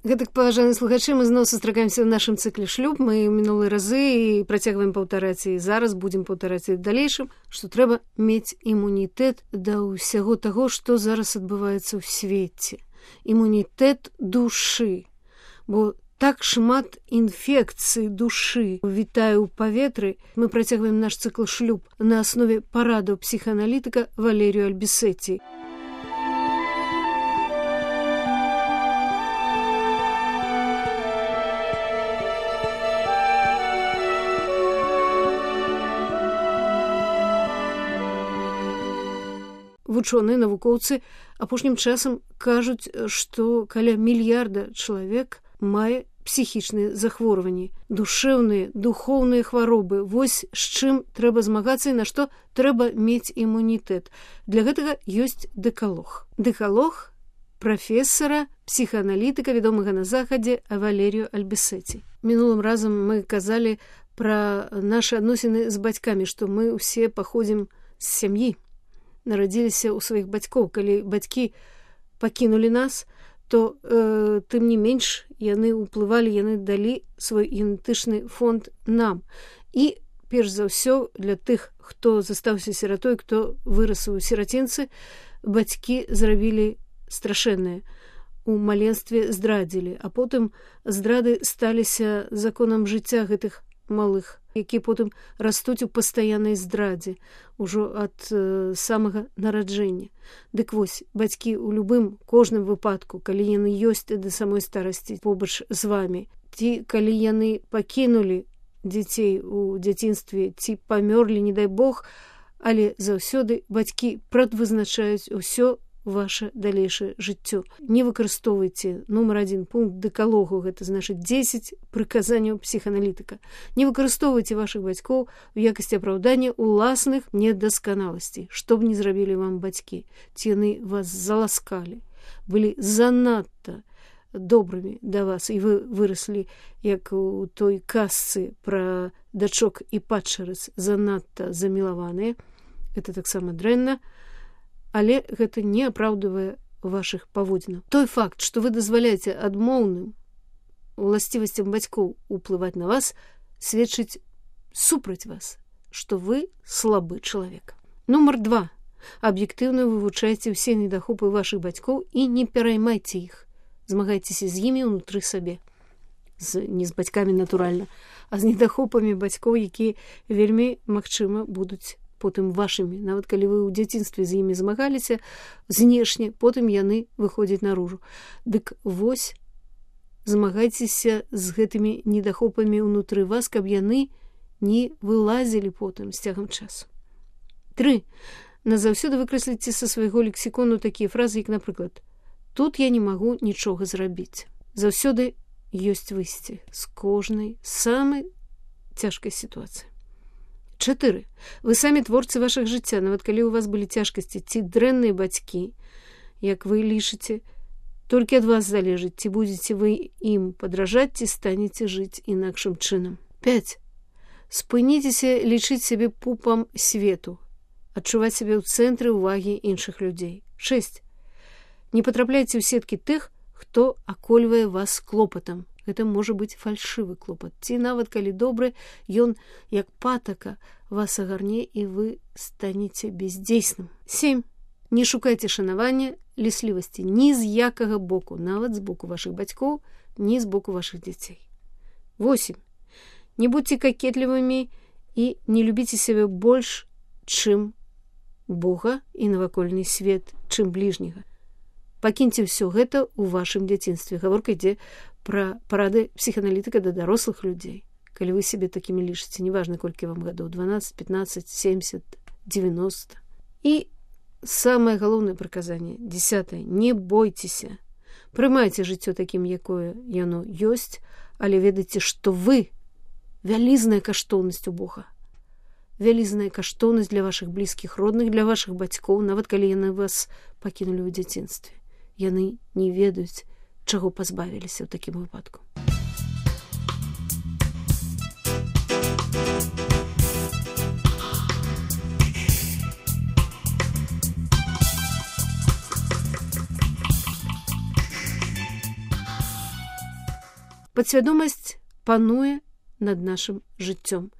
Гэтак, паважаныя слухачы, мы зноў сустракаемся ў нашым цыкле шлюб. Мы ў мінулыя разы і працягваем паўтараць, і зараз будзем паўтараць і ў далейшым, што трэба мець імунітэт да ўсяго таго, што зараз адбываецца ў свеце. Імунітэт душы. Бо так шмат інфекцый душы вітае ў паветры. Мы працягваем наш цыкл шлюб на аснове парадаў псіхааналітыка Валерію Альбісеці. Вучоныя, навукоўцы апошнім часам кажуць, што каля мільярда чалавек мае псіхічныя захворванні, душэўныя, духоўныя хваробы. Вось з чым трэба змагацца і на што трэба мець імунітэт. Для гэтага ёсць дэкалог. Дэкалог прафесара, псіхааналітыка, вядомага на захадзе Валерію Альбісеці. Мінулым разам мы казалі пра нашы адносіны з бацькамі, што мы ўсе паходзім з сям'і. Нарадзіліся ў сваіх бацькоў. Калі бацькі пакінулі нас, то тым не менш яны ўплывалі, яны далі свой генетычны фонд нам. І перш за ўсё для тых, хто застаўся сіратой, хто вырас у сірацінцы, бацькі зрабілі страшэннае. У маленстве здрадзілі, а потым здрады сталіся законам жыцця гэтых малых, якія потым растуць у пастаяннай здрадзе ўжо ад самага нараджэння. Дык вось, бацькі ў любым, кожным выпадку, калі яны ёсць да самой старасці побач з вамі, ці калі яны пакінулі дзяцей у дзяцінстве, ці памёрлі, не дай Бог, але заўсёды бацькі прадвызначаюць усё ваше далейшае жыццё. Не выкарыстоўвайце нумар 1 пункт дэкалогу, гэта значыць 10 прыказанняў псіхааналітыка. Не выкарыстоўвайце вашых бацькоў у якасці апраўдання ўласных недасканаласцей. Што б ні зрабілі вам бацькі, ці яны вас заласкалі, былі занадта добрымі да вас, і вы выраслі, як у той казцы пра дачок і падчарац, занадта замілаваныя. Гэта таксама дрэнна. Але гэта не апраўдвае вашых паводзінаў. Той факт, што вы дазваляеце адмоўным уласцівасцям бацькоў уплываць на вас, сведчыць супраць вас, што вы слабы чалавек. Нумар 2. Аб'ектыўна вывучайце ўсе недахопы вашых бацькоў і не пераймайце іх. Змагайцеся з імі ўнутры сабе. Не з бацькамі, натуральна, а з недахопамі бацькоў, якія вельмі, магчыма, будуць потым вашымі. Нават калі вы ў дзяцінстве з імі змагаліся знешне, потым яны выходзяць наружу. Дык вось, змагайцеся з гэтымі недахопамі ўнутры вас, каб яны не вылазілі потым з цягам часу. 3. Назаўсёды выкрэсліце са свайго лексікону такія фразы, як, напрыклад, «Тут я не магу нічога зрабіць». Заўсёды ёсць выйсце з кожнай самай цяжкай сітуацыі. 4. Вы самі творцы вашых жыцця, нават калі ў вас былі цяжкасці ці дрэнныя бацькі, як вы лічыце, толькі ад вас залежыць, ці будзеце вы ім падражаць, ці станеце жыць інакшым чынам. 5. Спыніцеся лічыць сябе пупам свету, адчуваць сябе ў цэнтры ўвагі іншых людзей. 6. Не патрапляйце ў сеткі тых, хто акольвае вас клопатам. Гэта можа быць фальшывы клопат. Ці нават калі добры, ён, як патака, вас агарне і вы станеце бездзейсным. 7. Не шукайце шанавання, ліслівасці ні з якага боку, нават з боку вашых бацькоў, ні з боку вашых дзяцей. 8. Не будьце какетлівымі і не любіце сябе больш, чым Бога і навакольны свет, чым бліжняга. Пакіньце ўсё гэта ў вашым дзяцінстве. Гаворка ідзе пра парады псіхааналітыка да дарослых людзей. Калі вы сябе такімі лічыце, неважна, колькі вам гадоў, 12, 15, 70, 90. І самае галоўнае прыказанне, 10. Не бойцеся. Прымайце жыццё такім, якое яно ёсць, але ведайце, што вы вялізная каштоўнасць у Бога. Вялізная каштоўнасць для вашых блізкіх родных, для вашых бацькоў, нават калі яны вас пакінулі ў дзяцінстве. Яны не ведаюць, чаго пазбавіліся ў такім выпадку. Падсвядомасць пануе над нашым жыццём.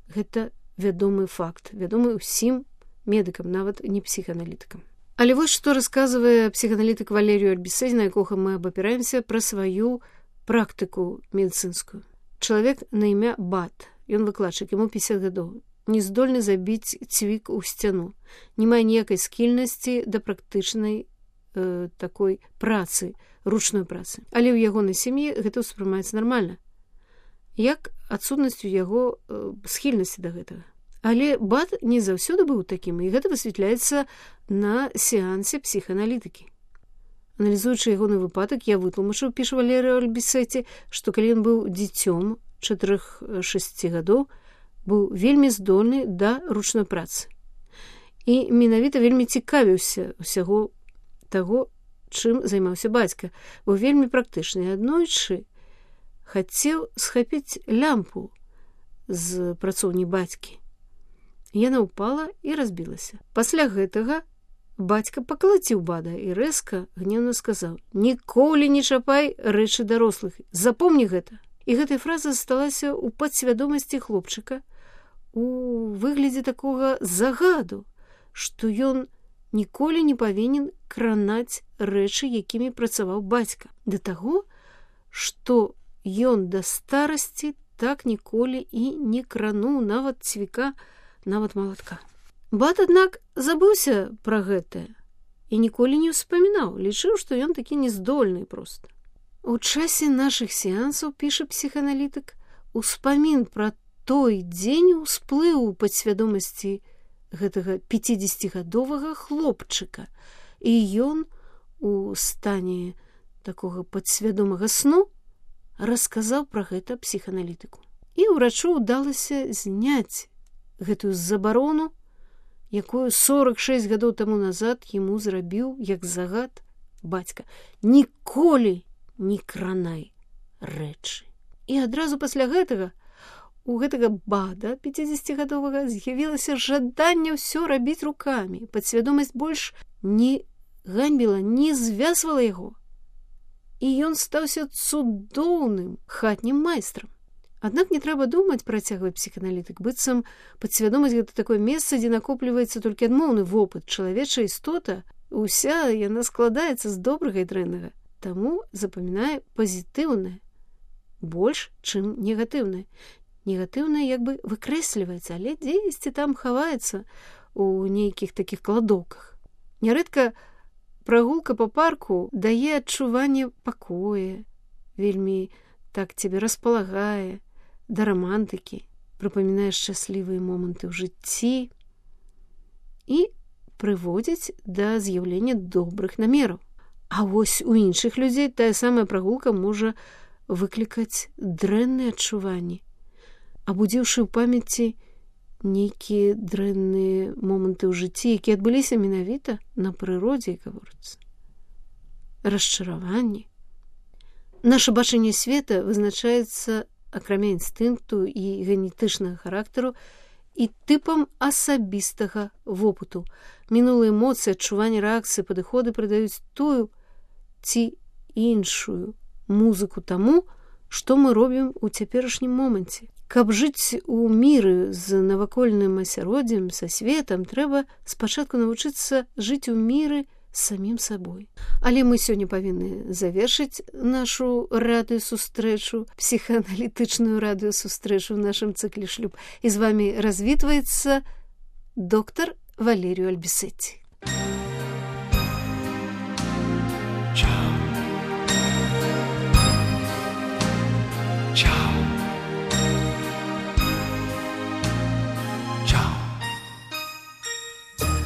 Гэта вядомы факт, вядомы ўсім медыкам, нават не псіхааналітыкам. Але вось што расказвае псіхааналітык Валерію Альбісеці, на якога мы абапіраемся, пра сваю практыку медыцынскую. Чалавек на імя Бат, ён выкладчык, яму 50 гадоў, не здольны забіць цвік у сцяну, не мае ніякай скільнасці да практычнай такой працы, ручной працы. Але ў ягонай сям'і гэта ўспрымаецца нармальна, як адсутнасць у яго схільнасці да гэтага. Але Бат не заўсёды быў такім, і гэта высвятляецца на сеансе псіхааналітыкі. Аналізуючы ягоны выпадак, я вытлумачыў, піша Валерій Альбісеці, што калі ён быў дзіцём 4-6 гадоў, быў вельмі здольны да ручной працы. І менавіта вельмі цікавіўся ўсяго таго, чым займаўся бацька, быў вельмі практычны. Аднойчы хацеў схапіць лямпу з працоўні бацькі. Яна ўпала і разбілася. Пасля гэтага бацька пакалаціў Бада і рэзка, гневна сказаў: «Ніколі не чапай рэчы дарослых, запомні гэта». І гэтая фраза засталася ў падсвядомасці хлопчыка у выглядзе такога загаду, што ён ніколі не павінен кранаць рэчы, якімі працаваў бацька. Да таго, што ён да старасці так ніколі і не крануў нават цвіка, нават малатка. Бат, аднак, забыўся пра гэтае і ніколі не ўспамінаў, лічыў, што ён такі нездольны проста. У часе нашых сеансаў, піша псіхааналітык, успамін пра той дзень усплыў у падсвядомасці гэтага 50-гадовага хлопчыка, і ён у стане такога падсвядомага сну расказаў пра гэта псіхааналітыку. І ўрачу ўдалася зняць гэтую забарону, якую 46 гадоў таму назад яму зрабіў як загад бацька. Ніколі не кранай рэчы. І адразу пасля гэтага у гэтага Бада 50-гадовага з'явілася жаданне ўсё рабіць рукамі. Падсвядомасць больш не ганьбіла, не звязвала яго. І ён стаўся цудоўным хатнім майстрам. Аднак не трэба думаць, працягвае псіхааналітык, быццам падсвядомасць гэта такое месца, дзе накопліваецца толькі адмоўны вопыт. Чалавечая істота, уся яна складаецца з добрага і дрэннага. Таму запамінае пазітыўнае больш, чым негатыўнае. Негатыўнае як бы выкрэсліваецца, але дзесьці там хаваецца у нейкіх такіх кладоўках. Нярэдка прагулка па парку дае адчуванне пакоя, вельмі так цябе распалагае, да рамантыкі, прыпамінае шчаслівыя моманты ў жыцці і прыводзіць да з'яўлення добрых намераў. А вось у іншых людзей тая самая прагулка можа выклікаць дрэнныя адчуванні, абудзіўшы ў памяці нейкія дрэнныя моманты ў жыцці, якія адбыліся менавіта на прыродзе, як гаворыцца. Расчараванні. Наша бачанне света вызначаецца, акрамя інстынкту і генетычнага характару, і тыпам асабістага вопыту. Мінулыя эмоцыі, адчуванні, рэакцыі, падыходы прыдаюць тую ці іншую музыку таму, што мы робім у цяперашнім моманце. Каб жыць у міры з навакольным асяроддзем, са светам, трэба спачатку навучыцца жыць у міры з самім сабой. Але мы сёння павінны завершыць нашу радыёсустрэчу, псіхааналітычную радыёсустрэчу ў нашым цыкле «Шлюб». І з вамі развітваецца доктар Валерію Альбісеці.